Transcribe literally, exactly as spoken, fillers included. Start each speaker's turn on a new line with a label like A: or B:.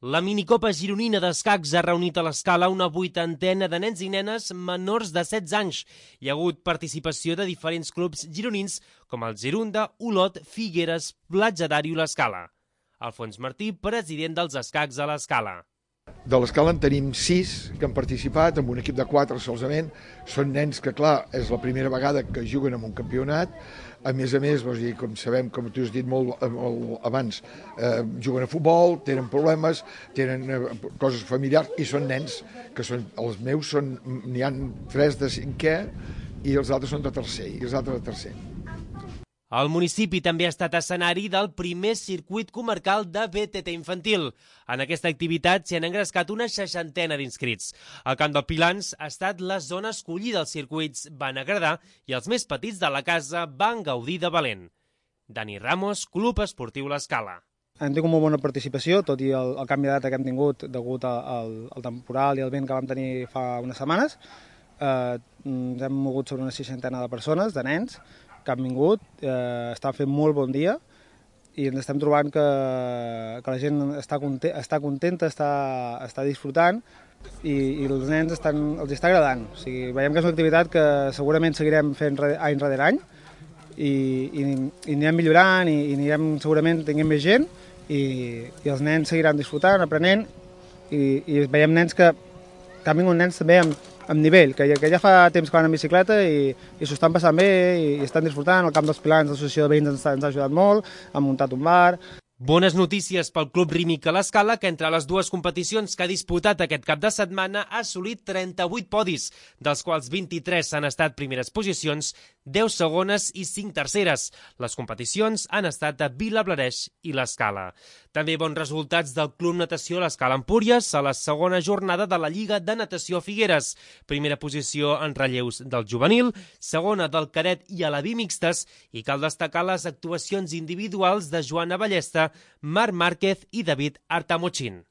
A: La minicopa gironina d'escacs ha reunit a l'Escala una vuitantena de nens i nenes menors de setze anys. Hi ha hagut participació de diferents clubs gironins com el Girunda, Olot, Figueres, Platja d'Aro i l'Escala. Alfons Martí, president dels escacs a l'Escala.
B: De l'Escala en tenim sis que han participat, amb un equip de quatre solament. Són nens que, clar, és la primera vegada que juguen en un campionat. A més a més, vols dir, com sabem, com tu has dit molt, molt abans, eh, juguen a futbol, tenen problemes, tenen eh, coses familiars, i són nens que són, els meus són, n'hi ha tres de cinquè i els altres són de tercer, i els altres de tercer.
A: El municipi també ha estat escenari del primer circuit comarcal de B T T infantil. En aquesta activitat s'hi han engrescat una seixantena d'inscrits. El Camp del Pilans ha estat la zona escollida. Els circuits van agradar i els més petits de la casa van gaudir de valent. Dani Ramos, Club Esportiu L'Escala.
C: Hem tingut molt bona participació, tot i el, el canvi de data que hem tingut degut al, al temporal i al vent que vam tenir fa unes setmanes. Eh, ens hem mogut sobre una seixantena de persones, de nens, que han vingut, eh, està fent molt bon dia i ens estem trobant que, que la gent està, content, està contenta, està, està disfrutant i, i els nens estan, els està agradant. O sigui, veiem que és una activitat que segurament seguirem fent any rere any i, i, i anirem millorant i, i anirem segurament tenint més gent i, i els nens seguiran disfrutant, aprenent i, i veiem nens que, que han vingut nens també amb amb nivell, que ja, que ja fa temps que van en bicicleta i, i s'ho estan passant bé i, i estan disfrutant. El Camp dels Pilans, l'associació de veïns ens, ens ha ajudat molt, han muntat un bar.
A: Bones notícies pel Club Rímic a l'Escala, que entre les dues competicions que ha disputat aquest cap de setmana ha assolit trenta-vuit podis, dels quals vint-i-tres han estat primeres posicions, deu segones i cinc terceres. Les competicions han estat a Vilablareix i l'Escala. També bons resultats del Club Natació l'Escala Empúries a la segona jornada de la Lliga de Natació Figueres. Primera posició en relleus del juvenil, segona del cadet i a la bimixtes, i cal destacar les actuacions individuals de Joana Ballesta, Marc Márquez i David Artamochín.